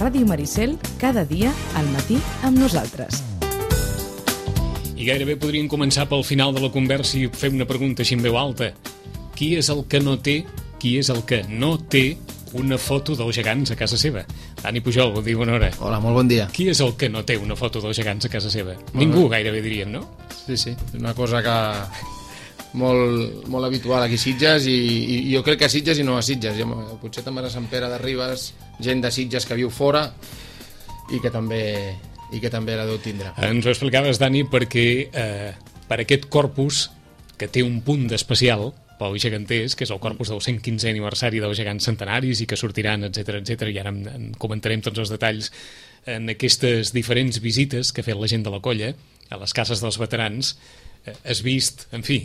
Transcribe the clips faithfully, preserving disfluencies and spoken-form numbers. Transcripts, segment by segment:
Ràdio Maricel, cada dia al matí amb nosaltres. I gairebé podríem començar pel final de la conversa i fer una pregunta així en veu alta. Qui és el que no té, qui és el que no té una foto dels gegants a casa seva? Dani Pujol, bon dia, bona hora. Hola, molt bon dia. Qui és el que no té una foto dels gegants a casa seva? Ningú, gairebé diríem, no? Sí, sí, és una cosa que molt, molt habitual aquí a Sitges i, i jo crec que a Sitges i no a Sitges. Jo, potser també a Sant Pere de Ribes, gent de Sitges que viu fora i que també, i que també la deu tindre. Ens ho explicaves, Dani, perquè eh, per aquest corpus que té un punt d'especial pels geganters, que és el corpus del cent quinzè aniversari dels gegants centenaris i que sortiran, etcètera, etcètera, i ara en, en comentarem tots els detalls en aquestes diferents visites que ha fet la gent de la colla a les cases dels veterans. Eh, has vist, en fi,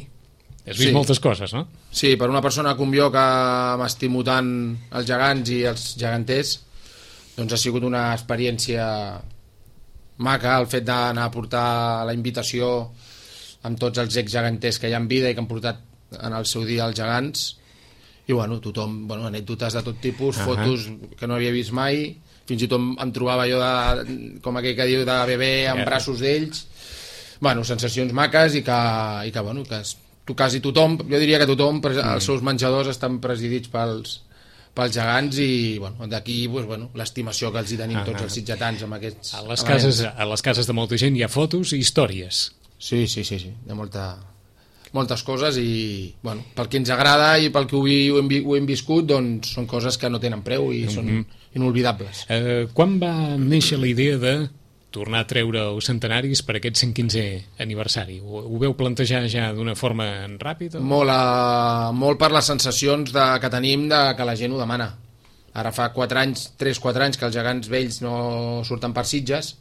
has vist sí. moltes coses, no? Sí, per una persona com jo que m'estimo tant els gegants i els geganters, doncs ha sigut una experiència maca el fet d'anar a portar la invitació amb tots els ex-geganters que hi ha en vida i que han portat en el seu dia als gegants i bueno, tothom, bueno, anècdotes de tot tipus, uh -huh. fotos que no havia vist mai, fins i tot em trobava jo de, com aquell que diu de bebè amb yeah. braços d'ells, bueno, sensacions maques i que, i que bueno, que tu, quasi tothom, jo diria que tothom, mm. els seus menjadors estan presidits pels pels gegants i bueno, d'aquí pues, bueno, l'estimació que els hi tenim uh -huh. tots els sitgetans amb aquests a les, cases, a les cases de molta gent hi ha fotos i històries. Sí, sí, sí, sí. Hi ha molta moltes coses i, bueno, pel que ens agrada i pel que ho, ho, hem, ho hem viscut, doncs són coses que no tenen preu i mm -hmm. són inolvidables. Eh, quan va néixer la idea de tornar a treure els centenaris per aquest cent quinzè aniversari? Ho, ho veu plantejar ja d'una forma ràpida? Molt, a, molt per les sensacions de, que tenim de que la gent ho demana. Ara fa quatre anys, tres quatre anys que els gegants vells no surten per Sitges,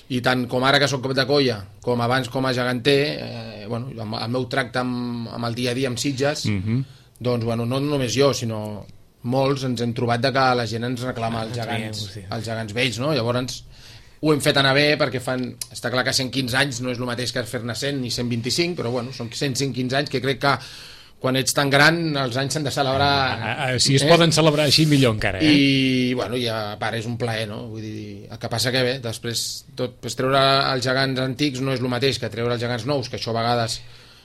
i tant com ara que soc cap de colla com abans com a geganter, eh, bueno, el meu tracte amb, amb el dia a dia amb Sitges, mm -hmm. doncs bueno, no només jo sinó molts ens hem trobat de que la gent ens reclama ah, els, gegants, sí. els gegants vells, no? Llavors ho hem fet anar bé perquè fan, està clar que cent quinze anys no és el mateix que fer-ne cent ni cent vint-i-cinc, però bueno, són cent quinze anys que crec que quan ets tan gran els anys s'han de celebrar. Ah, ah, si es eh? poden celebrar així millor encara, eh? I bueno, ja a part és un plaer, no? Vull dir, el que passa que bé, després tot, pues, treure els gegants antics no és el mateix que treure els gegants nous, que això a vegades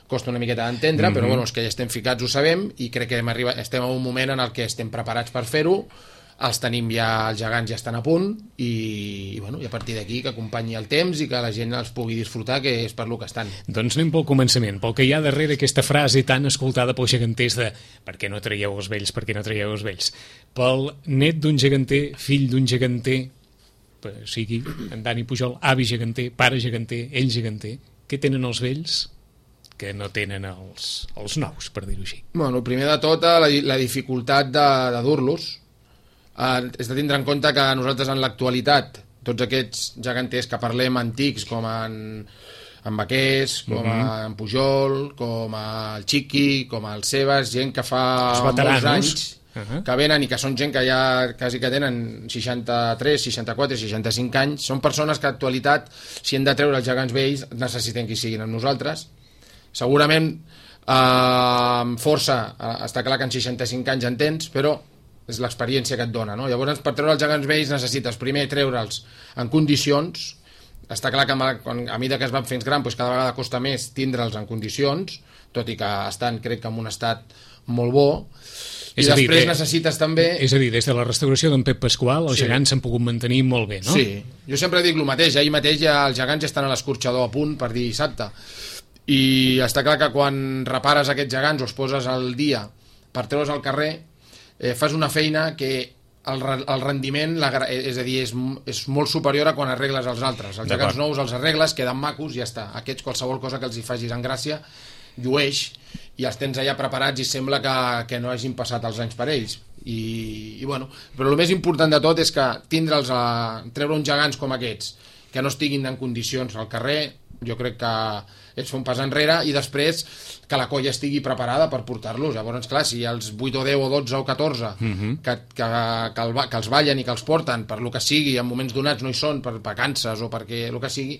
costa una miqueta d'entendre, mm -hmm. però bueno, els que ja estem ficats ho sabem i crec que hem arribat, estem en un moment en el que estem preparats per fer-ho, els tenim ja, els gegants ja estan a punt i, i, bueno, i a partir d'aquí que acompanyi el temps i que la gent els pugui disfrutar, que és per lo que estan. Doncs anem pel començament, pel que hi ha darrere aquesta frase tan escoltada pels geganters de per què no traieu els vells, per què no traieu els vells? Pel net d'un geganter, fill d'un geganter, o sigui, en Dani Pujol, avi geganter, pare geganter, ell geganter, què tenen els vells que no tenen els, els nous, per dir-ho així? Bueno, primer de tot, la, la dificultat de, de dur-los. Uh, és de tindre en compte que nosaltres en l'actualitat tots aquests geganters que parlem antics com en, en Vaquers, com uh-huh. en Pujol, com el Chiqui, com el Sebas, gent que fa molts anys uh-huh. que venen i que són gent que ja quasi que tenen seixanta-tres, seixanta-quatre, seixanta-cinc anys, són persones que en l'actualitat si hem de treure els gegants vells necessiten que hi siguin amb nosaltres. Segurament eh, amb força, eh, està clar que en seixanta-cinc anys en tens, però és l'experiència que et dona, no? Llavors, per treure els gegants vells necessites primer treure'ls en condicions. Està clar que a mesura que es van fent gran, doncs cada vegada costa més tindre'ls en condicions, tot i que estan, crec que en un estat molt bo. I després dir, necessites també... És a dir, des de la restauració d'en Pep Pasqual, els sí. gegants s'han pogut mantenir molt bé, no? Sí, jo sempre dic el mateix, ahir mateix ja els gegants ja estan a l'escorxador a punt per dir dissabte. I està clar que quan repares aquests gegants o els poses al dia per treure'ls al carrer, Eh, fas una feina que el, el rendiment, la, és a dir, és, és molt superior a quan arregles els altres. Els gegants nous els arregles, queden macos i ja està. Aquests, qualsevol cosa que els hi facis en gràcia, llueix i els tens allà preparats i sembla que, que no hagin passat els anys per ells. I, i bueno, però el més important de tot és que tindre'ls a treure uns gegants com aquests que no estiguin en condicions al carrer, jo crec que és fer un pas enrere i després que la colla estigui preparada per portar-los. Llavors, clar, si els vuit o deu o dotze o catorze uh-huh. que, que, que, el, que els ballen i que els porten per lo que sigui, en moments donats no hi són, per vacances o perquè el que sigui,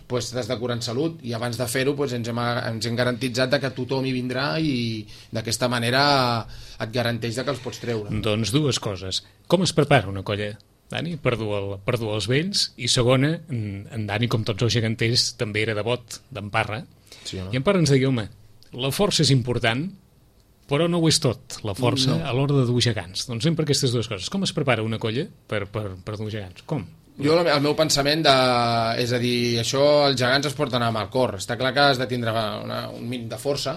pues, t'has de curar en salut i abans de fer-ho pues, ens, hem, ens hem garantitzat que tothom hi vindrà i d'aquesta manera et garanteix que els pots treure. Doncs dues coses. Com es prepara una colla Dani, per dur, el, per dur els vells, i segona, en Dani, com tots els geganters, també era devot d'en Parra, sí, no? I en Parra ens deia, home, la força és important, però no ho és tot, la força, no, a l'hora de dur gegants. Doncs sempre aquestes dues coses. Com es prepara una colla per, per, per dur gegants? Com? Jo, el meu pensament, de, és a dir, això, els gegants es porten amb el cor. Està clar que has de tindre una, un mínim de força,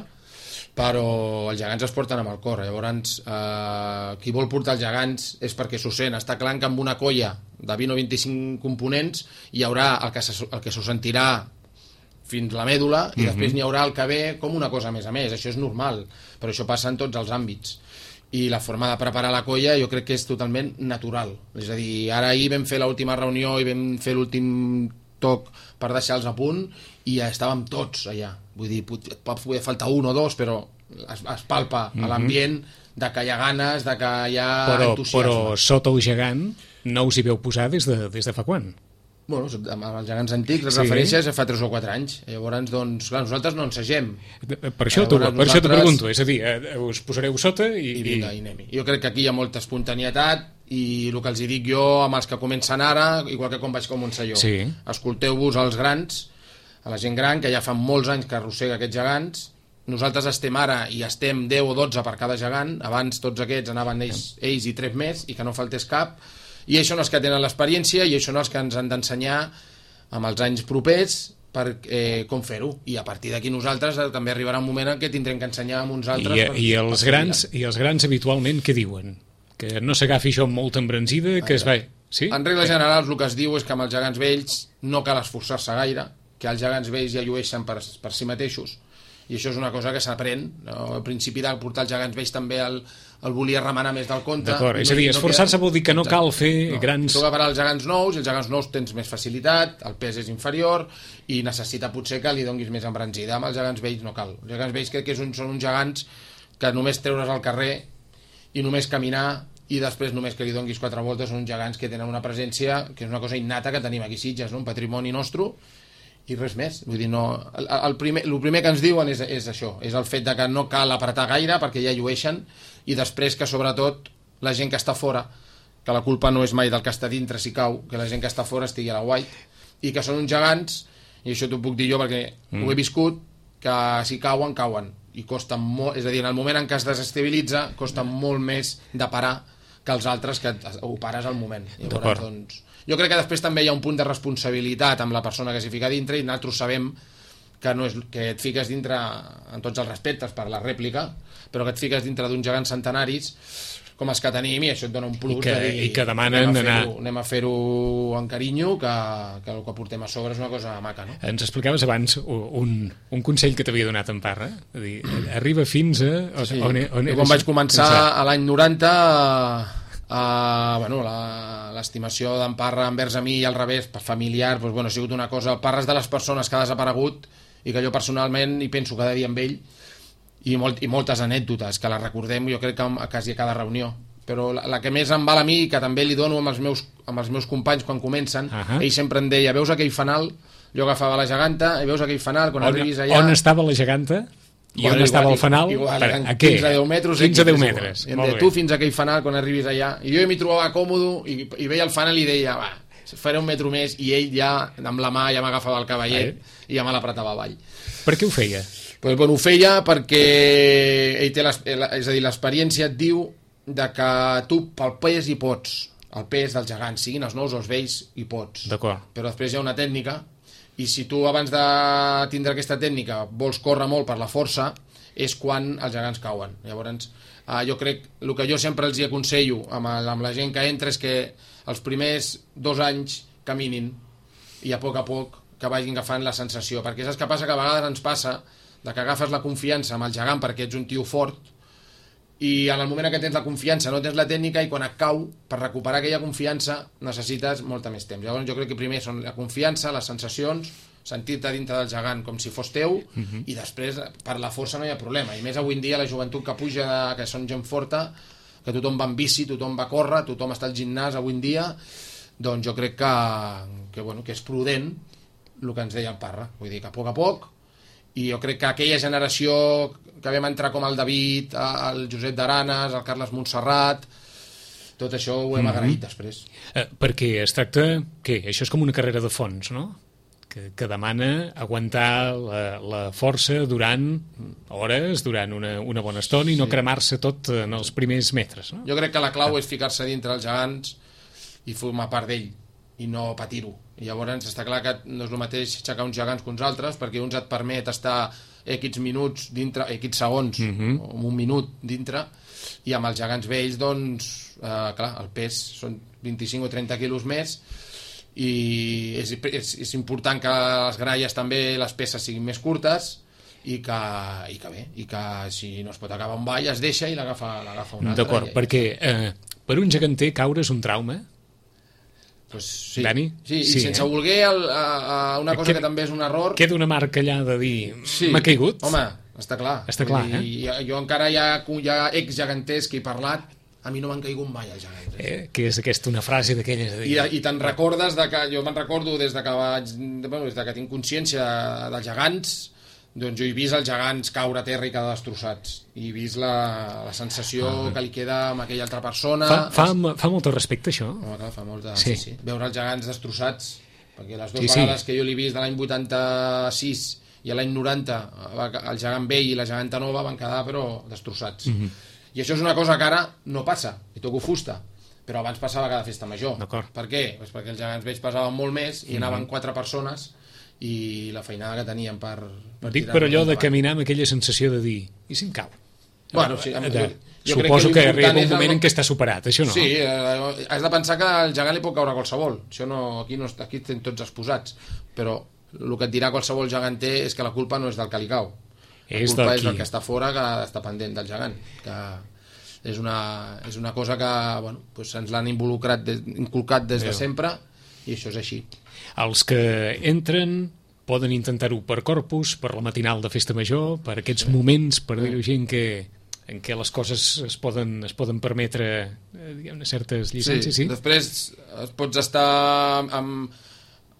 però els gegants es porten amb el cor. Llavors, eh, qui vol portar els gegants és perquè s'ho sent. Està clar que amb una colla de vint o vint-i-cinc components hi haurà el que, se, el que s'ho sentirà fins la mèdula, i mm-hmm. després n'hi haurà el que ve com una cosa més a més. Això és normal, però això passa en tots els àmbits. I la forma de preparar la colla jo crec que és totalment natural. És a dir, ara ahir vam fer l'última reunió i vam fer l'últim toc per deixar-los a punt i ja estàvem tots allà. Vull dir, pot, pot poder faltar un o dos, però es, es palpa mm-hmm. a l'ambient de que hi ha ganes, de que hi ha però, entusiasme. Però sota el gegant no us hi veu posar des de, des de fa quan? Bueno, amb els gegants antics, les sí. referències fa tres o quatre anys. Llavors, doncs, clar, nosaltres no ensegem. Per això t'ho nosaltres... pregunto, és a dir, us posareu sota i... I vinga, i anem-hi. Jo crec que aquí hi ha molta espontanietat i el que els hi dic jo amb els que comencen ara, igual que com vaig començar jo. Sí. Escolteu-vos als grans, a la gent gran, que ja fa molts anys que arrossega aquests gegants. Nosaltres estem ara i estem deu o dotze per cada gegant. Abans tots aquests anaven ells, ells i tres més, i que no faltés cap. I això són els que tenen l'experiència i això són els que ens han d'ensenyar amb els anys propers per eh, com fer-ho. I a partir d'aquí nosaltres eh, també arribarà un moment en què tindrem que ensenyar amb uns altres. I, per, i, els, grans, I els grans habitualment què diuen? Que no s'agafi això amb molta embranzida, que es va... Sí? En regla general el que es diu és que amb els gegants vells no cal esforçar-se gaire, que els gegants vells ja llueixen per, per si mateixos, i això és una cosa que s'aprèn. No? Al principi de portar els gegants vells també el, el volia remenar més del compte. D'acord, és a dir, esforçar-se vol dir que no cal fer no. grans... Tu agafaràs els gegants nous, i els gegants nous tens més facilitat, el pes és inferior i necessita potser que li donguis més embranzida. Amb els gegants vells no cal. Els gegants vells crec que és un, són uns gegants que només treure's al carrer i només caminar i després només que li donguis quatre voltes. Són uns gegants que tenen una presència que és una cosa innata que tenim aquí a Sitges, no? Un patrimoni nostre, i res més. Vull dir, no, el, el, primer, el primer que ens diuen és, és això, és el fet de que no cal apretar gaire perquè ja llueixen, i després que sobretot la gent que està fora, que la culpa no és mai del que està dintre si cau, que la gent que està fora estigui a la white, i que són uns gegants, i això t'ho puc dir jo perquè mm. ho he viscut, que si cauen, cauen, i costa molt, és a dir, en el moment en què es desestabilitza costa molt més de parar que els altres que ho pares al moment. Llavors, doncs, jo crec que després també hi ha un punt de responsabilitat amb la persona que s'hi fica dintre, i nosaltres sabem que, no és, que et fiques dintre, en tots els respectes per la rèplica, però que et fiques dintre d'uns gegants centenaris com els que tenim, i això et dona un plus. I que, de dir, i que demanen anem a anar... fer-ho anem a fer-ho en carinyo, que, que el que portem a sobre és una cosa maca, no? Ens explicaves abans un, un consell que t'havia donat en Parra, és a dir, arriba fins a... Sí. On, on jo quan vaig començar a l'any noranta... Uh, bueno, l'estimació d'en Parra envers a mi i al revés, per familiar, doncs, bueno, ha sigut una cosa. Parra és de les persones que ha desaparegut i que jo personalment hi penso cada dia amb ell, i, molt, i moltes anècdotes que les recordem jo crec que a quasi a cada reunió, però la, la que més em val a mi, que també li dono amb els meus, amb els meus companys quan comencen, uh -huh. ell sempre em deia, veus aquell fanal? Jo agafava la geganta i veus aquell fanal, quan on, arribis allà... On estava la geganta? I bueno, on estava igual, el fanal? Igual, per, a què? quinze a deu metres. quinze a deu metres. I em deia, tu fins a aquell fanal quan arribis allà. I jo m'hi trobava còmodo i, i veia el fanal i deia, va, faré un metro més, i ell ja, amb la mà, ja m'agafava el cavallet eh? i ja me l'apretava avall. Per què ho feia? Pues, bueno, ho feia perquè ell té les, és a dir, l'experiència et diu de que tu pel pes hi pots, el pes dels gegants, siguin els nous o els vells, hi pots. D'acord. Però després hi ha una tècnica, i si tu abans de tindre aquesta tècnica vols córrer molt per la força, és quan els gegants cauen. Llavors, eh, jo crec, el que jo sempre els hi aconsello amb, el, amb la gent que entra és que els primers dos anys caminin i a poc a poc que vagin agafant la sensació, perquè saps què passa? Que a vegades ens passa de que agafes la confiança amb el gegant perquè ets un tio fort, i en el moment en què tens la confiança no tens la tècnica, i quan et cau, per recuperar aquella confiança necessites molta més temps. Llavors jo crec que primer són la confiança, les sensacions, sentir-te dintre del gegant com si fos teu, uh-huh. i després per la força no hi ha problema, i més avui en dia la joventut que puja, de, que són gent forta, que tothom va en bici, tothom va a córrer, tothom està al gimnàs avui en dia, doncs jo crec que, que, bueno, que és prudent el que ens deia el Parra, vull dir que a poc a poc, i jo crec que aquella generació que vam entrar com el David, el Josep d'Aranes, el Carles Montserrat, tot això ho hem agraït després. Eh, perquè es tracta, què? Això és com una carrera de fons, no? Que, que demana aguantar la, la força durant hores, durant una, una bona estona i no Sí. cremar-se tot en els primers metres, no? Jo crec que la clau és ficar-se dintre els gegants i formar part d'ell i no patir-ho. I llavors està clar que no és el mateix aixecar uns gegants que uns altres, perquè uns et permet estar X minuts dintre, X segons, uh -huh. o un minut dintre, i amb els gegants vells, doncs, eh, clar, el pes són vint-i-cinc o trenta quilos més, i és, és, és important que les gralles també, les peces siguin més curtes, i que, i que bé, i que si no es pot acabar un ball es deixa i l'agafa l'agafa un altre. D'acord, perquè eh, per un geganter caure és un trauma. Pues sí. Dani? Sí, i Sí, sense eh? voler el, a, a una cosa Que- que, que també és un error. Queda una marca allà de dir, Sí. m'ha caigut. Home, està clar. Està Vull clar, dir, eh? Jo encara hi ha, hi ha ex-geganters que he parlat, a mi no m'han caigut mai els gegants. Eh? Eh? Que és aquesta una frase d'aquelles de dir... I, i te'n recordes de que, jo me'n recordo des de que vaig, bueno, des de que tinc consciència dels gegants, doncs jo he vist els gegants caure a terra i quedar destrossats, i he vist la, la sensació ah. que li queda amb aquella altra persona. Fa, fa, fa molt de respecte, això? Home, clar, fa molt de... Sí. Sí. Sí, veure els gegants destrossats, perquè les dues Sí, sí. vegades que jo l'he vist de l'any vuitanta-sis i a l'any noranta, el gegant vell i la geganta nova van quedar però destrossats. Mhm. I això és una cosa que ara no passa, i toco fusta, però abans passava cada festa major. D'acord. Per què? Pues perquè els gegants vells pesaven molt més i Mhm. anaven quatre persones i la feinada que tenien per, per Dic tirar per allò de endavant. caminar amb aquella sensació de dir, i si em cau? Bueno, sí, amb- de, jo- jo crec suposo que que, l'important arriba un és el- moment en què està superat, això no? Sí, eh, has de pensar que al gegant li pot caure qualsevol. Això no, aquí, no, aquí estem tots exposats. Però el que et dirà qualsevol geganter és que la culpa no és del que li cau. La És culpa del és qui- del que està fora, que està pendent del gegant. Que és una, és una cosa que bueno, doncs ens l'han involucrat des, inculcat des de Déu. sempre, i això és així. Els que entren poden intentar-ho per corpus, per la matinal de festa major, per aquests moments, per dir-ho així, en què, en què les coses es poden, es poden permetre eh, diguem-ne, certes llicències, sí? Després es pots estar amb,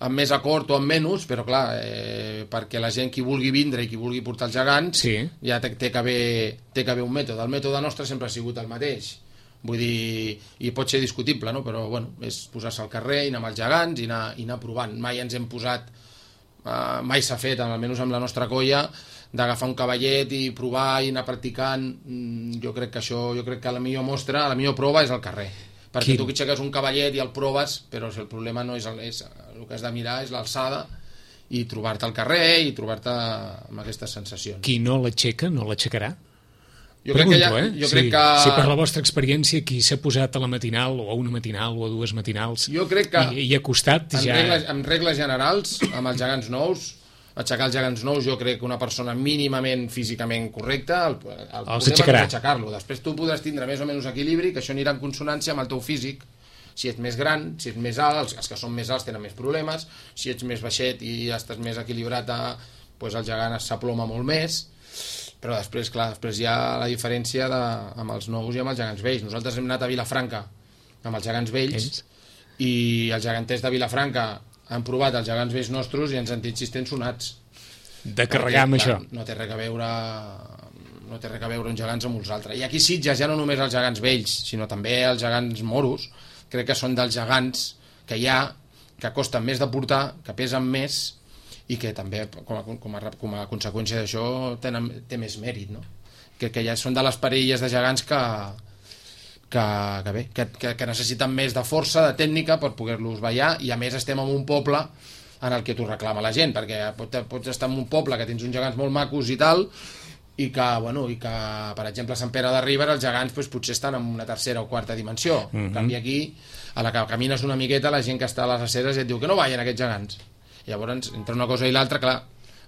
amb més acord o amb menys, però clar, eh, perquè la gent qui vulgui vindre i qui vulgui portar els gegants Sí. ja té, té, que haver, té que haver un mètode. El mètode nostre sempre ha sigut el mateix. Vull dir, i pot ser discutible, no? Però bueno, és posar-se al carrer i anar amb els gegants i anar, i anar provant. Mai ens hem posat, eh, mai s'ha fet, almenys amb la nostra colla, d'agafar un cavallet i provar i anar practicant. Mm, jo crec que això, jo crec que la millor mostra, la millor prova és al carrer. Perquè Quin- tu que aixeques un cavallet i el proves, però si el problema no és el, és, el que has de mirar és l'alçada i trobar-te al carrer i trobar-te amb aquestes sensacions. Qui no l'aixeca, no l'aixecarà? Jo crec que, Pregunto, ja, eh? jo si, crec que... si per la vostra experiència qui s'ha posat a la matinal o a una matinal o a dues matinals Jo crec que i, i ha costat en, ja... regles, en regles generals, amb els gegants nous, aixecar els gegants nous, jo crec que una persona mínimament físicament correcta, el, el Els problema aixecarà. és aixecar-lo. Després tu podràs tindre més o menys equilibri, que això anirà en consonància amb el teu físic. Si ets més gran, si ets més alt, els, els que són més alts tenen més problemes, si ets més baixet i estàs més equilibrat, a, doncs el gegant s'aploma molt més. Però després, clar, després hi ha la diferència de, amb els nous i amb els gegants vells. Nosaltres hem anat a Vilafranca amb els gegants vells, Ells? i els geganters de Vilafranca han provat els gegants vells nostres i ens han dit si estem sonats. De carregar amb Perquè, això. clar, no té res a veure no té res a veure uns gegants amb uns altres. I aquí a Sitges ja no només els gegants vells, sinó també els gegants moros, crec que són dels gegants que hi ha, que costen més de portar, que pesen més i que també com a, com a, com a conseqüència d'això tenen, té més mèrit, no? Que, que ja són de les parelles de gegants que, que, que, bé, que, que, que necessiten més de força, de tècnica per poder-los ballar, i a més estem en un poble en el que t'ho reclama la gent, perquè pot, pots estar en un poble que tens uns gegants molt macos i tal, i que, bueno, i que per exemple a Sant Pere de Ribera els gegants doncs, potser estan en una tercera o quarta dimensió. Mhm. En canvi aquí, a la que camines una miqueta, la gent que està a les aceres et diu que no ballen aquests gegants. I llavors, entre una cosa i l'altra, clar,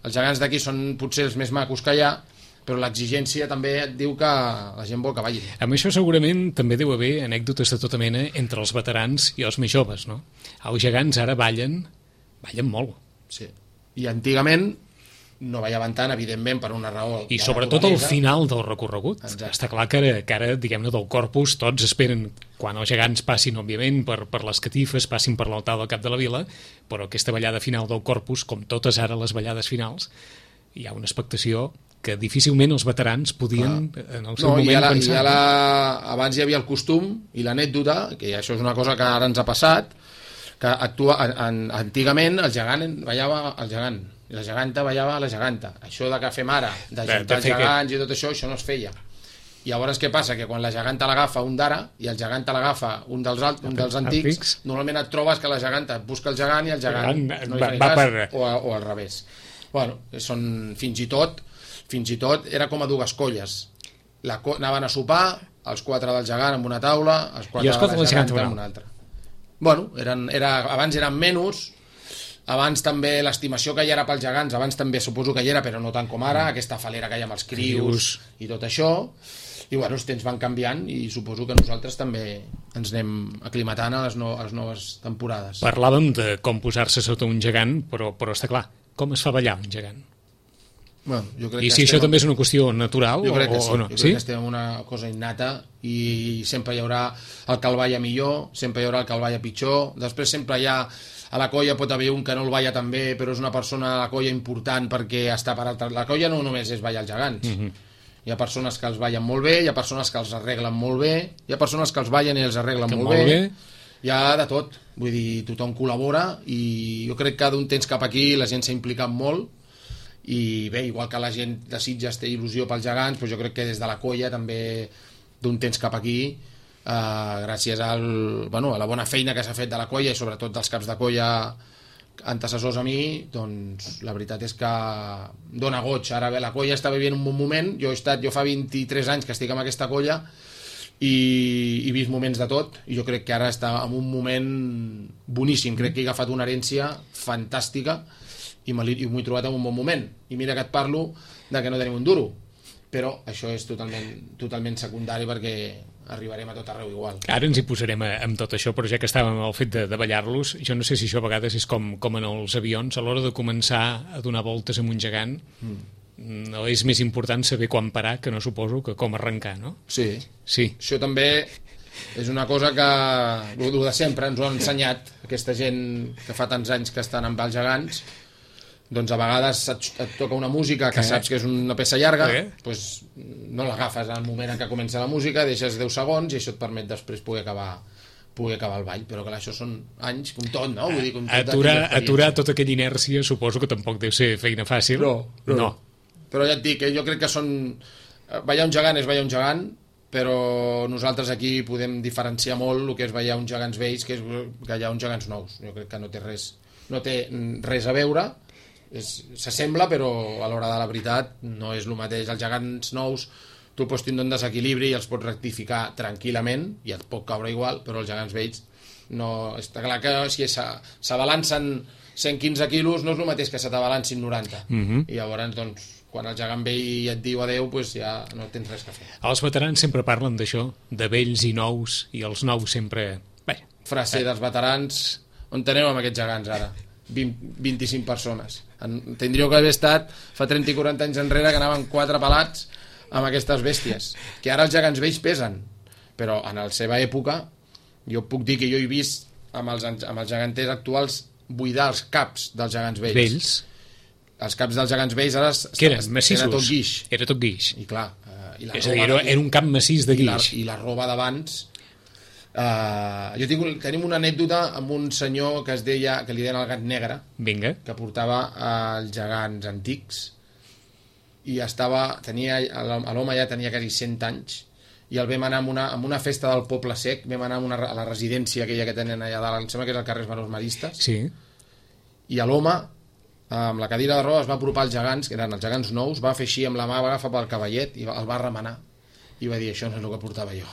els gegants d'aquí són potser els més macos que hi ha, però l'exigència també et diu que la gent vol que ballin. Amb això segurament també deu haver anècdotes de tota mena entre els veterans i els més joves, no? Els gegants ara ballen, ballen molt. Sí. I antigament no ballaven tant, evidentment, per una raó I de sobretot al naturalesa. final del recorregut. Exacte. Està clar que ara, que ara diguem-ne, del corpus tots esperen quan els gegants passin, òbviament, per, per les catifes, passin per l'altar del cap de la vila, però aquesta ballada final del corpus, com totes ara les ballades finals, hi ha una expectació que difícilment els veterans podien ah. en el seu no, moment i la, pensar. I la, abans hi havia el costum i l'anècdota, que això és una cosa que ara ens ha passat, que actua, en, antigament el gegant ballava el gegant, i la geganta ballava la geganta. Això de que fem ara, de juntar els gegants que... i tot això, això no es feia. I llavors què passa? Que quan la geganta l'agafa un d'ara i el geganta l'agafa un dels, alt, un dels antics, antics, normalment et trobes que la geganta busca el gegant i el gegant el no li fa va, cas, per... o, o al revés. Bueno, són fins i tot fins i tot era com a dues colles. La, anaven a sopar, els quatre del gegant amb una taula, els quatre de la geganta amb una altra. Bueno, eren, era, abans eren menys, abans també l'estimació que hi era pels gegants, abans també suposo que hi era, però no tant com ara, aquesta falera que hi ha amb els crius i tot això. I bueno, els temps van canviant i suposo que nosaltres també ens anem aclimatant a les, no, a les noves temporades. Parlàvem de com posar-se sota un gegant, però, però està clar, com es fa ballar un gegant? Bueno, jo crec I que si estem... això també és una qüestió natural jo crec que o, sí. o no? Jo sí? crec que estem en una cosa innata i sempre hi haurà el que el balla millor, sempre hi haurà el que el balla pitjor, després sempre hi ha a la colla pot haver un que no el balla tan bé però és una persona a la colla important perquè està per altra... La colla no només és ballar els gegants. Mm-hmm. Hi ha persones que els ballen molt bé, hi ha persones que els arreglen molt bé, hi ha persones que els ballen i els arreglen molt, molt bé. bé, hi ha de tot, vull dir, tothom col·labora i jo crec que d'un temps cap aquí la gent s'ha implicat molt i bé, igual que la gent de Sitges té il·lusió pels gegants, doncs jo crec que des de la colla també d'un temps cap aquí, eh, gràcies al, bueno, a la bona feina que s'ha fet de la colla i sobretot dels caps de colla antecessors a mi, doncs la veritat és que dona goig. Ara bé, la colla està vivint un bon moment, jo he estat, jo fa vint-i-tres anys que estic amb aquesta colla i he vist moments de tot i jo crec que ara està en un moment boníssim, crec que he agafat una herència fantàstica i m'ho he trobat en un bon moment i mira que et parlo de que no tenim un duro, però això és totalment, totalment secundari perquè arribarem a tot arreu igual. Ara ens hi posarem a, amb tot això, però ja que estàvem al fet de, de ballar-los, jo no sé si això a vegades és com, com en els avions, a l'hora de començar a donar voltes amb un gegant, mm. no és més important saber quan parar que no suposo que com arrencar, no? Sí. Sí. Això també és una cosa que, el de sempre, ens ho han ensenyat, aquesta gent que fa tants anys que estan amb els gegants, doncs a vegades et, et toca una música que saps que és una peça llarga, doncs no l'agafes al moment en què comença la música, deixes deu segons i això et permet després poder acabar poder acabar el ball, però clar, això són anys com tot, no? Vull dir, com tot aturar, aturar tota aquella inèrcia suposo que tampoc deu ser feina fàcil. No, no. no. Però ja et dic, eh, jo crec que són... ballar un gegant és ballar un gegant, però nosaltres aquí podem diferenciar molt el que és ballar uns gegants vells que és ballar uns gegants nous. Jo crec que no té res, no té res a veure, s'assembla però a l'hora de la veritat no és el mateix. Els gegants nous tu pots tindre un desequilibri i els pots rectificar tranquil·lament i et pot caure igual, però els gegants vells no, està clar que si s'abalancen cent quinze quilos no és el mateix que se t'abalancin noranta. Mm-hmm. I llavors doncs quan el gegant vell et diu adeu doncs ja no tens res que fer. Els veterans sempre parlen d'això, de vells i nous, i els nous sempre... Bé, frase eh. dels veterans, on tenim amb aquests gegants ara? vint, vint-i-cinc persones. Tindríeu que haver estat fa trenta i quaranta anys enrere que anaven quatre pelats amb aquestes bèsties, que ara els gegants vells pesen, però en la seva època jo puc dir que jo he vist amb els, amb els geganters actuals buidar els caps dels gegants vells. Vells? Els caps dels gegants vells ara que eren massissos? Era tot guix. Era tot guix. I clar, eh, i la és a dir, era, era un cap massís de guix. I la, i la roba d'abans... Uh, jo tinc, tenim una anècdota amb un senyor que es deia, que li deien el gat negre. Vinga. Que portava els gegants antics i estava, tenia, l'home ja tenia quasi cent anys i el vam anar amb una, amb una festa del Poble Sec, vam anar a, una, a la residència aquella que tenen allà dalt, em sembla que és el carrer Manos Maristes. Sí. I l'home amb la cadira de roda es va apropar als gegants, que eren els gegants nous, va fer així amb la mà, va agafar pel cavallet i el va remenar i va dir, això no és el que portava jo.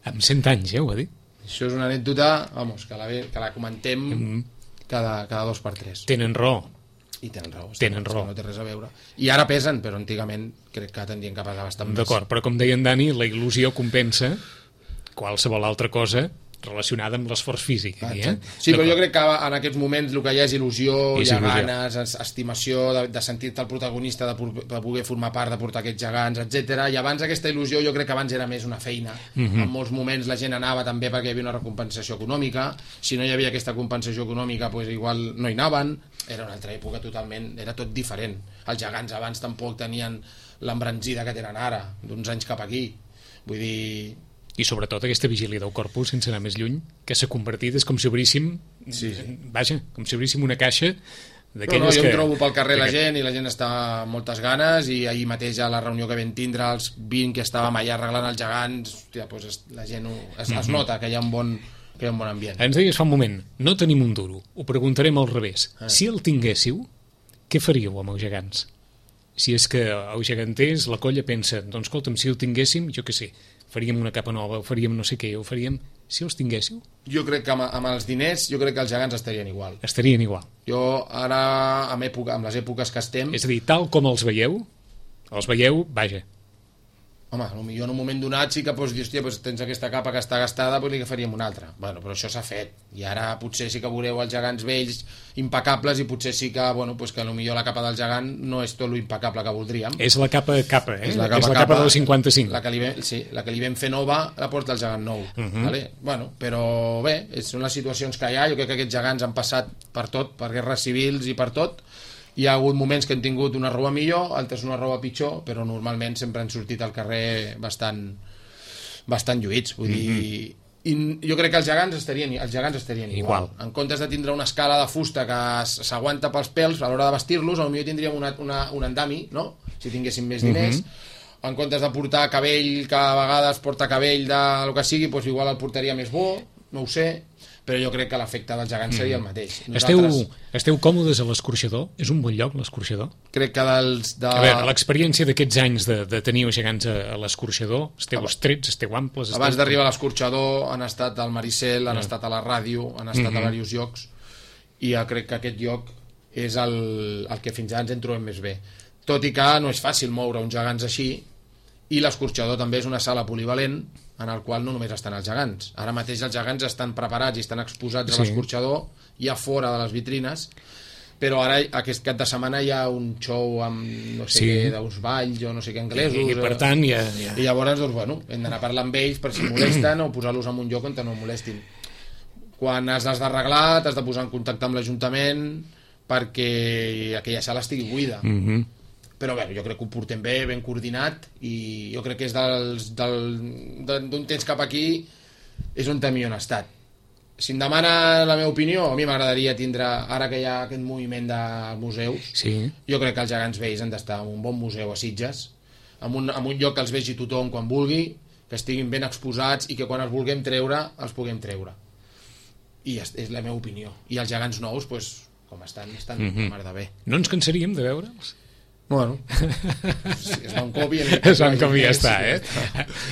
Amb cent anys, ja ho va dir. Això és una anècdota, vamos, que la, que la comentem mm. cada, cada dos per tres. Tenen raó. I tenen raó. Tenen raó. No té res a veure. I ara pesen, però antigament crec que tendrien que pesar bastant més. D'acord, però com deia en Dani, la il·lusió compensa qualsevol altra cosa relacionada amb l'esforç físic. Ah, eh? Sí, però jo crec que en aquests moments el que hi ha és il·lusió, és hi ha il·lusió. ganes, estimació de, de sentir-te el protagonista, de, de poder formar part, de portar aquests gegants, etcètera. I abans aquesta il·lusió jo crec que abans era més una feina. Mm-hmm. En molts moments la gent anava també perquè hi havia una recompensació econòmica. Si no hi havia aquesta compensació econòmica, pues igual no hi anaven. Era una altra època totalment, era tot diferent. Els gegants abans tampoc tenien l'embranzida que tenen ara, d'uns anys cap aquí. Vull dir... I sobretot aquesta vigília del Corpus, sense anar més lluny, que s'ha convertit, és com si obríssim, sí, sí. vaja, com si obríssim una caixa d'aquelles no, no, jo que... em trobo pel carrer la gent i la gent està amb moltes ganes, i ahir mateix a la reunió que vam tindre, els vint que estàvem allà arreglant els gegants, hòstia, doncs la gent ho, es, es nota que hi ha un bon, que hi ha un bon ambient. Ens deies fa un moment, no tenim un duro, ho preguntarem al revés. Ah. Si el tinguéssiu, què faríeu amb els gegants? Si és que els geganters, la colla pensa, doncs escolta'm, si el tinguéssim, jo què sé, faríem una capa nova, o faríem no sé què, o faríem... Si els tinguéssiu? Jo crec que amb, amb els diners, jo crec que els gegants estarien igual. Estarien igual. Jo ara, amb, època, amb les èpoques que estem... És a dir, tal com els veieu, els veieu, vaja. Home, potser en un moment donat sí que pots dir, hòstia, doncs tens aquesta capa que està gastada, doncs li faríem una altra. Bueno, però això s'ha fet. I ara potser sí que veureu els gegants vells impecables, i potser sí que, bueno, doncs que potser la capa del gegant no és tot lo impecable que voldríem. És la capa capa, eh? És la capa, és la capa, capa del cinquanta-cinc. La que, li vam, sí, la que li vam fer nova la porta el gegant nou. Uh -huh. Vale? Bueno, però bé, són les situacions que hi ha. Jo crec que aquests gegants han passat per tot, per guerres civils i per tot. Hi ha hagut moments que han tingut una roba millor, altres una roba pitjor, però normalment sempre han sortit al carrer bastant, bastant lluïts. Vull dir, mm-hmm. I jo crec que els gegants estarien, els gegants estarien igual. igual. En comptes de tindre una escala de fusta que s'aguanta pels pèls a l'hora de vestir-los, potser tindríem una, una, un andami, no? Si tinguéssim més diners. Mm-hmm. En comptes de portar cabell, que a vegades porta cabell de lo que sigui, doncs igual el portaria més bo, no ho sé, però jo crec que l'efecte dels gegants mm. seria el mateix. Nosaltres... Esteu, esteu còmodes a l'Escorxador? És un bon lloc, l'Escorxador? Crec que dels... De... A veure, l'experiència d'aquests anys de, de tenir els gegants a, a l'Escorxador, esteu Abans. estrets, esteu amples... Esteu... Abans d'arribar a l'Escorxador han estat al Maricel, han mm. estat a la ràdio, han estat mm-hmm. a diversos llocs, i jo crec que aquest lloc és el, el que fins ara ens en trobem més bé. Tot i que no és fàcil moure uns gegants així, i l'Escorxador també és una sala polivalent, en el qual no només estan els gegants. Ara mateix els gegants estan preparats i estan exposats sí. a l'Escorxador, ja fora de les vitrines, però ara aquest cap de setmana hi ha un show amb no sé sí. què, d'uns balls o no sé què anglesos. I, i per tant ja, ja... I llavors, doncs, bueno, hem d'anar a parlar amb ells per si molesten o posar-los en un lloc on no molestin. Quan has d'arreglar, t'has de posar en contacte amb l'Ajuntament perquè aquella sala estigui buida. Mhm. Mm però bé, jo crec que ho portem bé, ben coordinat, i jo crec que és dels, del, d'un temps cap aquí és on també on ha estat. Si em demana la meva opinió, a mi m'agradaria tindre, ara que hi ha aquest moviment de museus, sí. jo crec que els gegants vells han d'estar en un bon museu a Sitges, en un, en un lloc que els vegi tothom quan vulgui, que estiguin ben exposats i que quan els vulguem treure, els puguem treure. I és, és la meva opinió. I els gegants nous, pues, com estan, estan mm-hmm. mar de bé. No ens cansaríem de veure'ls? Bueno, sí, es va un cop i... Es va un cop i ja està, eh?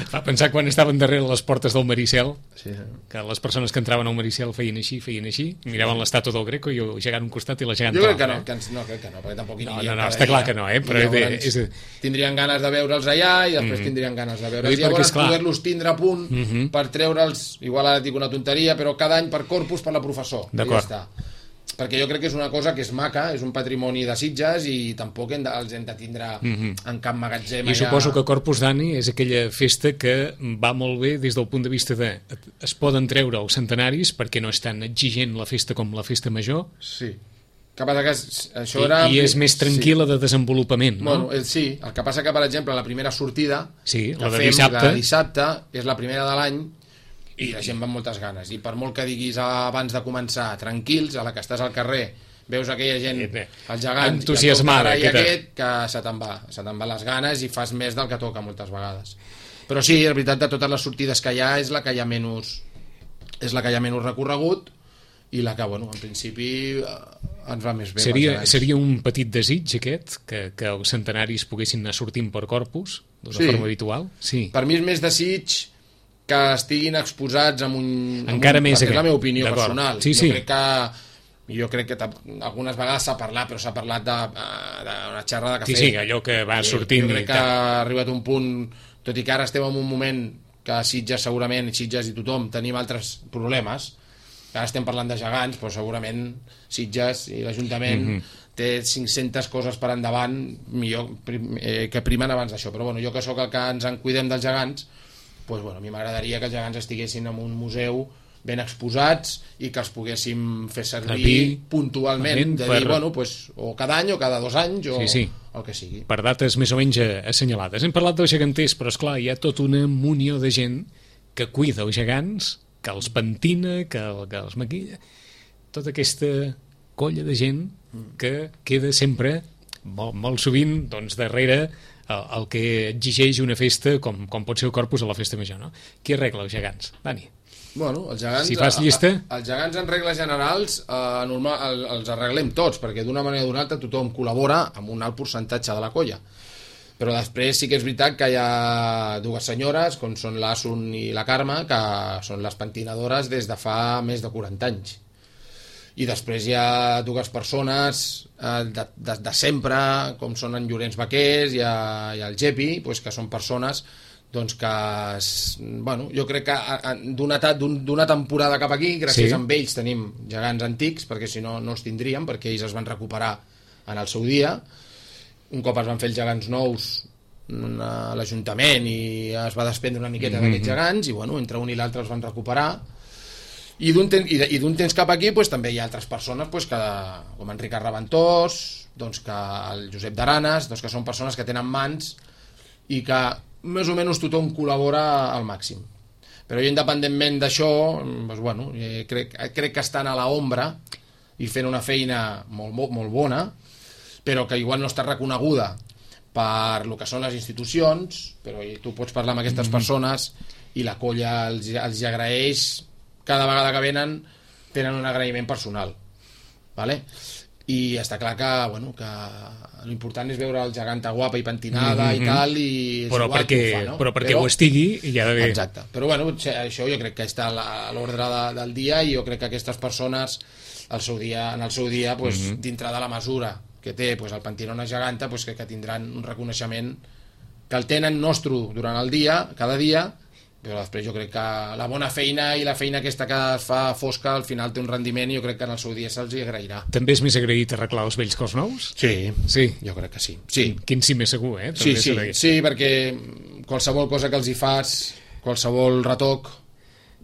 Fa pensar quan estaven darrere les portes del Maricel, sí, sí. que les persones que entraven al Maricel feien així, feien així, miraven l'estàtua del Greco i el gegant un costat i la gegant jo crec que no, eh? que ens, no, crec que no, perquè tampoc hi no, no, no, està clar que no, eh? Però llavors, és... tindrien ganes de veure'ls allà i després mm. tindrien ganes de veure'ls. I llavors poder-los tindre a punt mm -hmm. per treure'ls, igual ara dic una tonteria, però cada any per Corpus per la professor. D'acord. Ja està. Perquè jo crec que és una cosa que és maca, és un patrimoni de Sitges i tampoc hem de, els hem de tindre mm-hmm. en cap magatzem. I allà... suposo que Corpus d'Ani és aquella festa que va molt bé des del punt de vista de es poden treure els centenaris perquè no és tan exigent la festa com la festa major. Sí. Que passa que això I, era... I és més tranquil·la sí. de desenvolupament, no? Bueno, sí, el que passa que, per exemple, la primera sortida sí, que la de fem, dissabte. la de dissabte, és la primera de l'any i la gent va amb moltes ganes, i per molt que diguis abans de començar tranquils, a la que estàs al carrer veus aquella gent, els gegants entusiasmada, i el aquest, que se te'n va se te'n va les ganes i fas més del que toca moltes vegades. Però sí, és veritat, de totes les sortides que hi ha és la que hi ha menys és la que hi ha menys recorregut i la que, bueno, en principi ens va més bé. Seria, seria un petit desig aquest, que, que els centenaris poguessin anar sortint per Corpus d'una sí. forma habitual? Sí. Per mi és més desig que estiguin exposats amb un... Encara amb un, més és la meva opinió personal. Sí, sí. Jo crec que, jo crec que algunes vegades s'ha parlat, però s'ha parlat d'una xerrada que sí, fer. Sí, allò que va sortint. Jo crec que ha arribat un punt, tot i que ara estem en un moment que a Sitges segurament, Sitges i tothom, tenim altres problemes. Ara estem parlant de gegants, però segurament Sitges i l'Ajuntament mm-hmm. té cinc-centes coses per endavant millor, eh, que primen abans d'això. Però bueno, jo que sóc el que ens en cuidem dels gegants, pues, bueno, a mi m'agradaria que els gegants estiguessin en un museu ben exposats i que els poguéssim fer servir Servir, puntualment, de dir, per... bueno, pues, o cada any o cada dos anys o sí, sí. el que sigui. Per dates més o menys assenyalades. Hem parlat dels geganters, però esclar, hi ha tota una munió de gent que cuida els gegants, que els pentina, que, que els maquilla. Tota aquesta colla de gent que queda sempre, molt, molt sovint, doncs, darrere el, el que exigeix una festa com, com pot ser el Corpus a la festa major, no? Qui arregla els gegants? Dani? Bueno, els gegants, si fas llista... A, a, els gegants en regles generals eh, normal, el, els arreglem tots, perquè d'una manera o d'una altra tothom col·labora amb un alt percentatge de la colla. Però després sí que és veritat que hi ha dues senyores, com són l'Asun i la Carme, que són les pentinadores des de fa més de quaranta anys. I després hi ha dues persones eh, de, de, de sempre, com són en Llorenç Vaquers i, a, i el Gepi, pues, que són persones doncs que, bueno, jo crec que d'una d'una temporada cap aquí, gràcies sí. a ells tenim gegants antics, perquè si no, no els tindríem, perquè ells es van recuperar en el seu dia. Un cop es van fer els gegants nous a l'Ajuntament i es va desprendre una miqueta mm-hmm. d'aquests gegants, i bueno, entre un i l'altre els van recuperar. I d'un temps, i d'un temps cap aquí pues, també hi ha altres persones pues, que, com en Ricard Reventós, doncs, que el Josep d'Aranes, doncs, que són persones que tenen mans i que més o menys tothom col·labora al màxim. Però jo, independentment d'això, doncs, bueno, crec, crec que estan a l'ombra i fent una feina molt, molt, molt bona, però que igual no està reconeguda per lo que són les institucions, però tu pots parlar amb aquestes mm-hmm. persones i la colla els, els agraeix, cada vegada que venen tenen un agraïment personal, vale? I està clar que, bueno, que l'important és veure el geganta guapa i pentinada mm-hmm. i tal, i però perquè, fa, no? però perquè però, ho estigui hi ha d'haver... Exacte, però bueno, això jo crec que està a l'ordre de, del dia, i jo crec que aquestes persones al seu dia, en el seu dia pues, mm-hmm. dintre de la mesura que té pues, el pentinó una geganta, pues, que, que tindran un reconeixement que el tenen nostre durant el dia, cada dia, però després jo crec que la bona feina i la feina aquesta que es fa fosca al final té un rendiment, i jo crec que en el seu dia se'ls hi agrairà. També és més agraït arreglar els vells que els nous? Sí, sí. Jo crec que sí. sí. Quin sí més segur, eh? Sí, sí, sí, perquè qualsevol cosa que els hi fas, qualsevol retoc,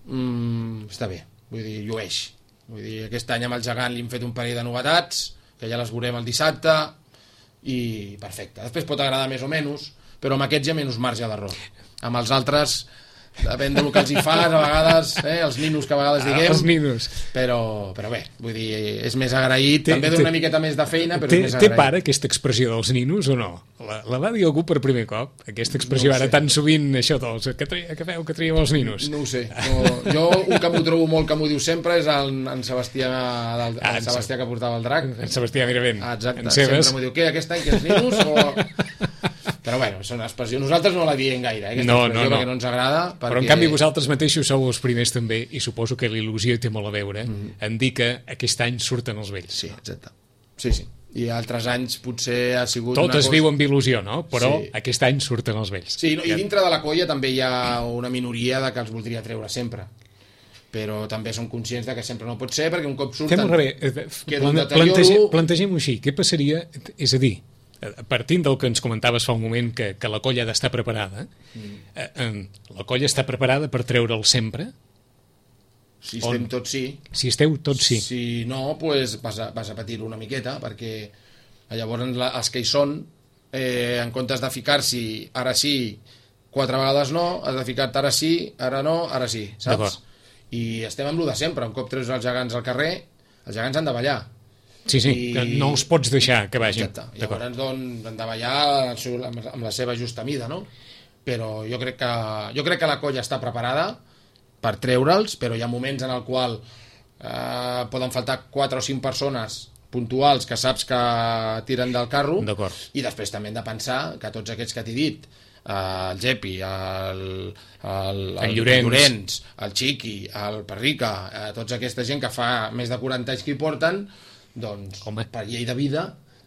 mmm, està bé, vull dir, llueix. Vull dir, aquest any amb el gegant li hem fet un parell de novetats, que ja les veurem el dissabte, i perfecte. Després pot agradar més o menys, però amb aquests hi ha menys marge d'error. Amb els altres... depèn del que els hi fas, a vegades, eh, els ninos que a vegades diguem, ah, els ninos. Però, però bé, vull dir, és més agraït, té, també d'una miqueta més de feina, però té, és més agraït. Té pare aquesta expressió dels ninos o no? La, la va dir algú per primer cop? Aquesta expressió no ara tan sovint, això dels, que, tria, que feu, que trieu els ninos? No ho sé. No, jo un que m'ho trobo molt que m'ho diu sempre és el, en Sebastià, del, ah, el Sebastià que portava el drac. En Sebastià Miravent. Ah, exacte, en sempre m'ho diu, què, aquest any que els ninos o... Però bueno, són expressions. Nosaltres no la diem gaire, eh, aquesta no, expressió, no, no. perquè no ens agrada. Perquè... Però en canvi vosaltres mateixos sou els primers també, i suposo que l'il·lusió té molt a veure, mm. en dir que aquest any surten els vells. Sí, exacte. Sí, sí. I altres anys potser ha sigut tot una es cosa... viu amb il·lusió, no? Però sí. aquest any surten els vells. Sí, no, i dintre de la colla també hi ha una minoria de que els voldria treure sempre. Però també som conscients de que sempre no pot ser, perquè un cop surten... Fem al revés. Plantege, plantegem-ho així. Què passaria? És a dir, partint del que ens comentaves fa un moment, que, que la colla ha d'estar preparada, mm. eh, eh, la colla està preparada per treure'l sempre? Si estem On? tots sí. Si esteu tots sí. Si no, pues vas a, vas a patir-ho una miqueta, perquè llavors la, els que hi són, eh, en comptes de ficar-s'hi ara sí, quatre vegades no, has de ficar-te ara sí, ara no, ara sí, saps? I estem amb lo de sempre, un cop treus els gegants al carrer, els gegants han de ballar. Sí, sí, I... que no els pots deixar que vagin. Exacte. Llavors doncs, han de ballar amb la seva justa mida, no? Però jo crec que, jo crec que la colla està preparada per treure'ls, però hi ha moments en el qual eh, poden faltar quatre o cinc persones puntuals que saps que tiren del carro, i després també hem de pensar que tots aquests que t'he dit, eh, el Gepi, el, el, el, el Llorenç. Llorenç, el Chiqui, el Perrica, eh, tota aquesta gent que fa més de quaranta anys que hi porten, doncs, Home. per llei de vida,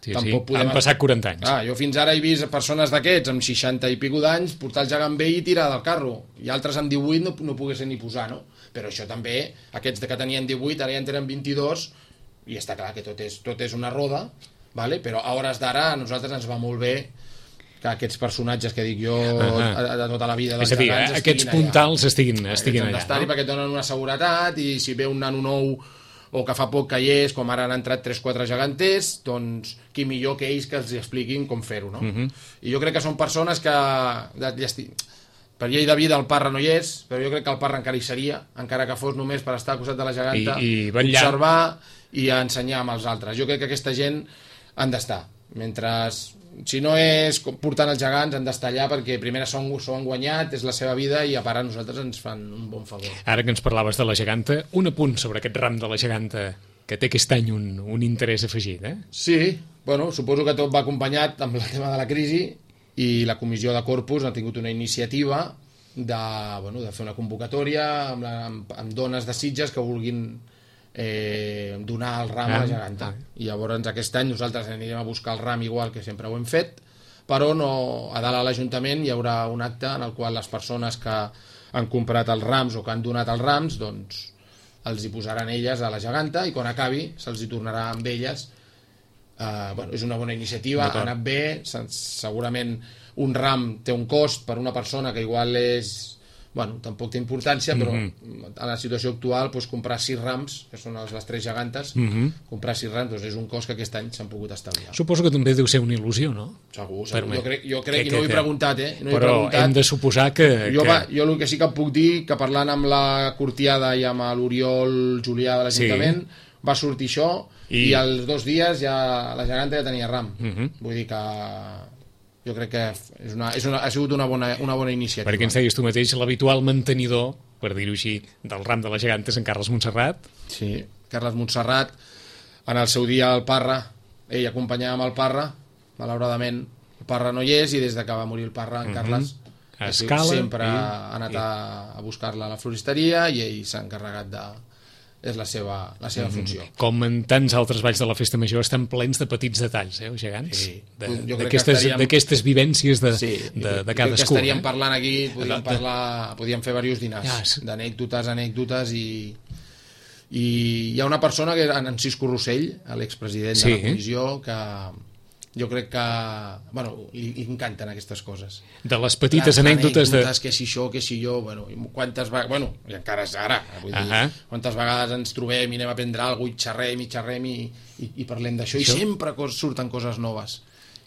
sí, tampoc sí. podem... Han passat quaranta anys. Ah, jo fins ara he vist persones d'aquests amb seixanta i pico d'anys portar el gegant vell i tirar del carro, i altres amb divuit no, no poguessin ni posar, no? Però això també, aquests que tenien divuit ara ja en tenen vint-i-dos, i està clar que tot és, tot és una roda, vale? Però a hores d'ara a nosaltres ens va molt bé que aquests personatges que dic jo uh-huh. de tota la vida dels gegants, és a dir, aquests puntals allà. estiguin allà, no? Perquè et donen una seguretat, i si ve un nano nou o que fa poc que hi és, com ara han entrat tres o quatre geganters, doncs qui millor que ells que els expliquin com fer-ho, no? Uh-huh. I jo crec que són persones que per llei de vida el Parra no hi és, però jo crec que el Parra encara hi seria, encara que fos només per estar al costat de la geganta, I, i observar i ensenyar amb els altres. Jo crec que aquesta gent han d'estar, mentre si no és portant els gegants han d'estar allà, perquè primer s'ho han guanyat, és la seva vida, i a part a nosaltres ens fan un bon favor. Ara que ens parlaves de la geganta, un apunt sobre aquest ram de la geganta que té aquest any un, un interès afegit, eh? Sí, bueno, suposo que tot va acompanyat amb el tema de la crisi, i la comissió de Corpus ha tingut una iniciativa de, bueno, de fer una convocatòria amb, la, amb, amb dones de Sitges que vulguin Eh, donar el ram ah, a la geganta. Ah. I llavors aquest any nosaltres anirem a buscar el ram igual que sempre ho hem fet, però no, a dalt a l'Ajuntament hi haurà un acte en el qual les persones que han comprat els rams o que han donat els rams, doncs els hi posaran elles a la geganta, i quan acabi se'ls hi tornarà amb elles. Eh, bueno, és una bona iniciativa, ha anat bé, segurament un ram té un cost per una persona que igual és... Bueno, tampoc té importància, però mm-hmm. a la situació actual, doncs, comprar sis rams, que són les, les tres gegantes, mm-hmm. comprar sis rams, doncs és un cost que aquest any s'han pogut estalviar. Suposo que també deu ser una il·lusió, no? Segur, segur. Jo crec, jo crec que, i no ho he preguntat, eh? No però he preguntat. Hem de suposar que... Jo, que... Va, jo el que sí que puc dir, que parlant amb la Cortiada i amb l'Oriol Julià de l'Ajuntament, sí. va sortir això, i... i als dos dies ja la geganta ja tenia ram. Mm-hmm. Vull dir que... jo crec que és una, és una, ha sigut una bona, una bona iniciativa. Perquè ens deies tu mateix, l'habitual mantenidor, per dir-ho així, del ram de la geganta és en Carles Montserrat. Sí, Carles Montserrat, en el seu dia el Parra, ell acompanyava amb el Parra, malauradament el Parra no hi és, i des que va morir el Parra, en uh-huh. Carles Escala, sempre i... ha anat a, a buscar-la a la floristeria, i ell s'ha encarregat de... és la seva, la seva mm-hmm. funció. Com en tants altres balls de la Festa Major, estan plens de petits detalls, eh, els gegants? Sí. D'aquestes estaríem... vivències de, sí, de, de cadascú. Jo crec que estaríem eh? parlant aquí, podíem, de... parlar, podíem fer diversos dinars, yes. d'anècdotes, anècdotes, i, i hi ha una persona, que en Cisco Rossell, l'expresident sí. de la comissió, que... jo crec que, bueno, li, li encanten aquestes coses. De les petites les anècdotes, anècdotes de... que si això, que si jo, bueno, quantes vegades, bueno, i encara és ara, vull dir, uh-huh. quantes vegades ens trobem i anem a prendre alguna cosa, i xerrem i xerrem i, i, i parlem d'això, i sempre cos, surten coses noves.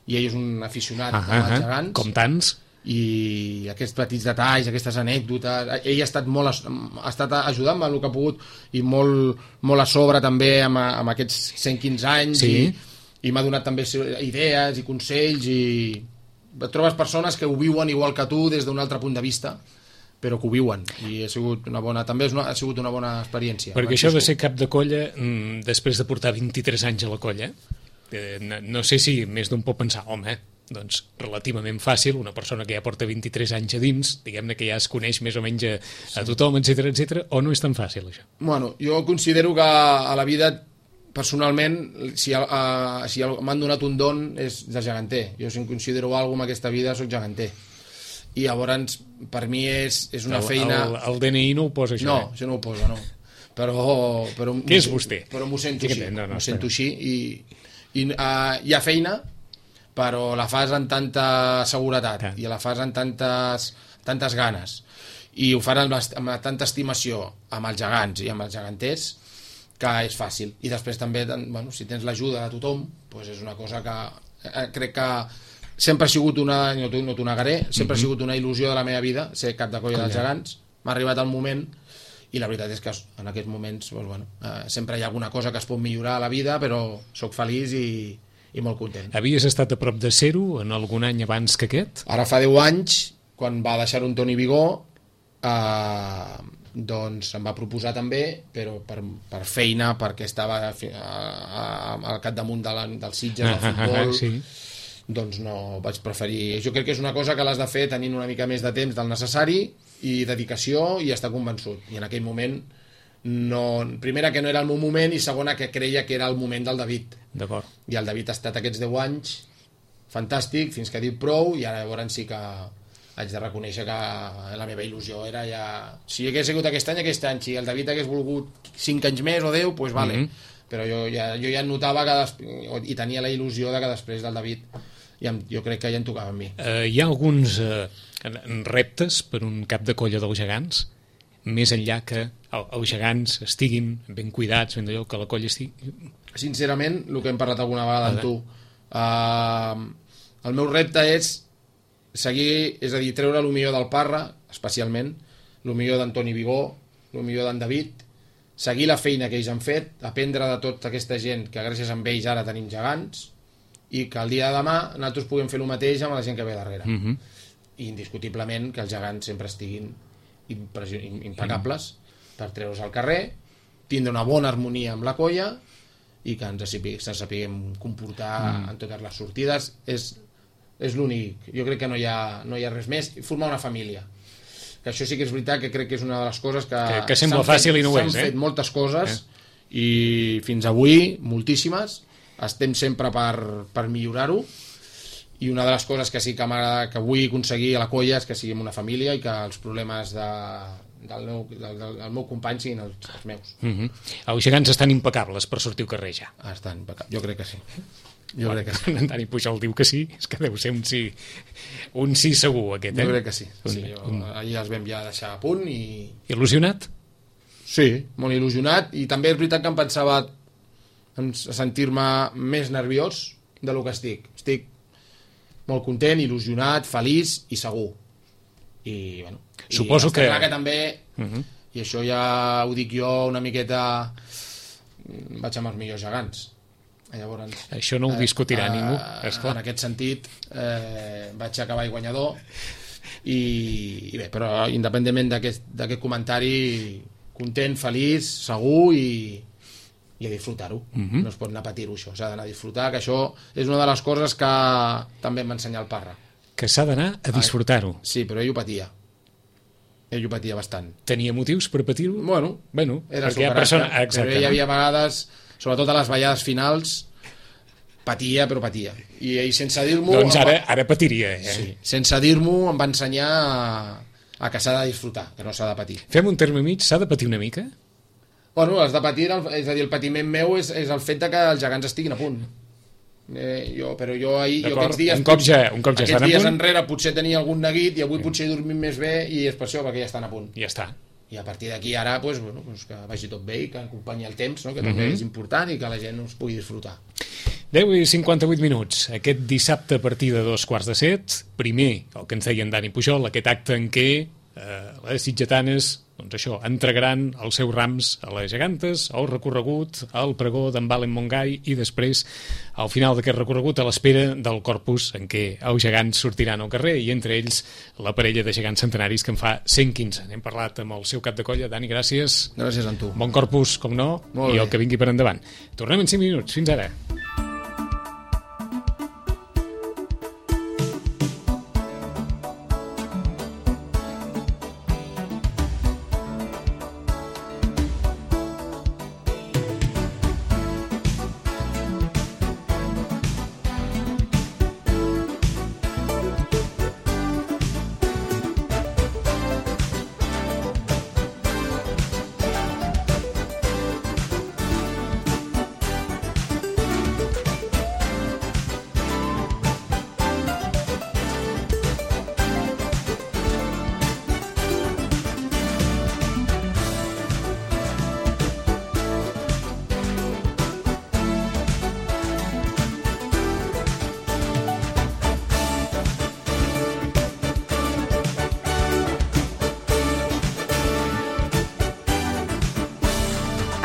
I ell és un aficionat uh-huh. als gegants. Com tants. I aquests petits detalls, aquestes anècdotes, ell ha estat molt, ha estat ajudant amb el que ha pogut, i molt, molt a sobre també amb, amb aquests cent quinze anys, sí. i i m'ha donat també idees i consells, i trobes persones que ho viuen igual que tu des d'un altre punt de vista, però que ho viuen, i ha sigut una bona, també una, ha sigut una bona experiència. Perquè això de ser cap de colla, mmm, després de portar vint-i-tres anys a la colla, eh, no, no sé si més d'un pot pensar, home, doncs relativament fàcil, una persona que ja porta vint-i-tres anys a dins, diguem-ne que ja es coneix més o menys a, a tothom, etcètera, etcètera, o no és tan fàcil això? Bueno, jo considero que a la vida, personalment, si, uh, si m'han donat un don és de geganter. Jo, si em considero alguna cosa en aquesta vida, soc geganter. I llavors, per mi és, és una el, feina... El, el D N I no ho posa, això? No, eh? això no ho posa, no. Però... però Què és vostè? Però m'ho sento així, no, no, m'ho sento així, i, i uh, hi ha feina, però la fas amb tanta seguretat, ah. i la fas amb tantes, tantes ganes, i ho fan amb, amb tanta estimació amb els gegants i amb els geganters, que és fàcil. I després també, bueno, si tens l'ajuda de tothom, doncs és una cosa que eh, crec que sempre ha sigut una, no t'ho no negaré, sempre mm-hmm. ha sigut una il·lusió de la meva vida ser cap de colla dels gegants. M'ha arribat el moment, i la veritat és que en aquests moments doncs, bueno, eh, sempre hi ha alguna cosa que es pot millorar a la vida, però sóc feliç i, i molt content. Havies estat a prop de ser-ho en algun any abans que aquest? Ara fa deu anys, quan va deixar un Toni Vigó, eh, doncs em va proposar també, però per, per feina, perquè estava a, a, al capdamunt de la, del Sitges, del futbol, sí. Doncs no, vaig preferir... Jo crec que és una cosa que l'has de fer tenint una mica més de temps del necessari, i dedicació, i estar convençut. I en aquell moment, no, primera que no era el meu moment, i segona que creia que era el moment del David. D'acord. I el David ha estat aquests deu anys fantàstic, fins que ha dit prou, i ara llavors sí que haig de reconèixer que la meva il·lusió era ja... Si hagués sigut aquest any, aquest any. Si el David hagués volgut cinc anys més o deu, doncs vale. Mm-hmm. Però jo ja, jo ja notava que des... i tenia la il·lusió de que després del David ja, jo crec que ja en tocava a mi. Uh, hi ha alguns uh, reptes per un cap de colla dels gegants, més enllà que el, els gegants estiguin ben cuidats, ben d'allò, que la colla estigui... Sincerament, el que hem parlat alguna vegada amb tu, uh, el meu repte és seguir, és a dir, treure el millor del Parra, especialment, el millor d'Antoni Vigó, el millor d'en David, seguir la feina que ells han fet, aprendre de tota aquesta gent que gràcies a ells ara tenim gegants, i que el dia de demà nosaltres puguem fer el mateix amb la gent que ve darrere. Mm-hmm. I indiscutiblement que els gegants sempre estiguin impecables mm-hmm. per treure's al carrer, tindre una bona harmonia amb la colla i que ens sapiguem comportar mm. en totes les sortides. És, és l'únic. Jo crec que no hi ha, no hi ha res més. Formar una família. Que això sí que és veritat, que crec que és una de les coses que... Que, que sembla fàcil fet, i no ho és, eh? S'han fet moltes coses eh? I fins avui, moltíssimes. Estem sempre per, per millorar-ho. I una de les coses que sí que m'agrada, que vull aconseguir a la colla, és que siguem una família i que els problemes de... Del meu, del, del meu company siguin els, els meus. Mm-hmm. Els gegants estan impecables per sortir al carrer ja. Estan impecables, jo crec que sí. Jo bueno, crec que sí. En Dani Pujol diu que sí, és que deu ser un sí, un sí segur aquest, eh? Jo crec que sí. Un, sí jo, un... ahir els vam ja deixar a punt i... Il·lusionat? Sí, molt il·lusionat, i també és veritat que em pensava en sentir-me més nerviós de lo que estic. Estic molt content, il·lusionat, feliç i segur. I, bueno... Suposo I que... clar que també, uh-huh. i això ja ho dic jo una miqueta, vaig amb els millors gegants. Llavors, això no ho discutirà eh, ningú, esclar. En aquest sentit, eh, vaig acabar guanyador i, i bé, però independentment d'aquest comentari, content, feliç, segur i, i a disfrutar-ho. Uh-huh. No es pot anar a patir-ho, això. S'ha d'anar a disfrutar, que això és una de les coses que també em va ensenyar el Parra. Que s'ha d'anar a disfrutar-ho. Sí, però ell ho patia. Ell ho patia bastant. Tenia motius per patir-ho? Bueno, bueno era perquè hi ha persona... Però hi havia vegades, sobretot a les ballades finals, patia, però patia. I ell, sense dir-m'ho... Doncs ara, ara patiria, eh? Sí, sense dir-m'ho em va ensenyar a, a que s'ha de disfrutar, que no s'ha de patir. Fem un terme mig, s'ha de patir una mica? Bueno, has de patir, és a dir, el patiment meu és, és el fet de que els gegants estiguin a punt. Eh, jo, però jo ahir jo aquests dies, un cop ja, un cop ja aquests dies estan a punt, enrere potser tenia algun neguit i avui potser he dormit més bé i és per això perquè ja estan a punt. Ja està. I a partir d'aquí ara pues, bueno, pues que vagi tot bé i que acompanyi el temps, no? Que també mm-hmm. és important i que la gent us pugui disfrutar. deu i cinquanta-vuit minuts. Aquest dissabte a partir de dos quarts de set, primer el que ens deia en Dani Pujol, aquest acte en què eh, les sitgetanes, doncs això, entregaran els seus rams a les gegantes, el recorregut, al pregó d'en Valen Montgai i després, al final d'aquest recorregut, a l'espera del corpus en què els gegants sortiran al carrer i entre ells la parella de gegants centenaris que en fa cent quinze. Hem parlat amb el seu cap de colla. Dani, gràcies. Gràcies a tu. Bon corpus, com no, Molt i bé. el que vingui per endavant. Tornem en cinc minuts. Fins ara.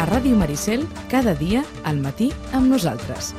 A Ràdio Maricel, cada dia al matí amb nosaltres.